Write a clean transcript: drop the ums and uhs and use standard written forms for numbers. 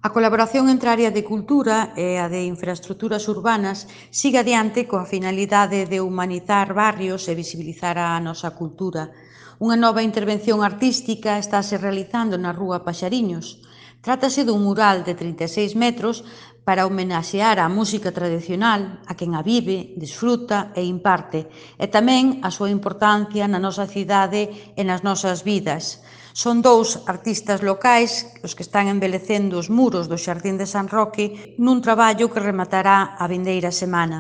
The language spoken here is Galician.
A colaboración entre a área de cultura e a de infraestruturas urbanas sigue adiante coa finalidade de humanizar barrios e visibilizar a nosa cultura. Unha nova intervención artística estáse realizando na Rúa Paxariños. Trátase dun mural de 36 metros para homenaxear a música tradicional, a quen a vive, desfruta e imparte, e tamén a súa importancia na nosa cidade e nas nosas vidas. Son dous artistas locais os que están embelecendo os muros do Xardín de San Roque nun traballo que rematará a vindeira semana.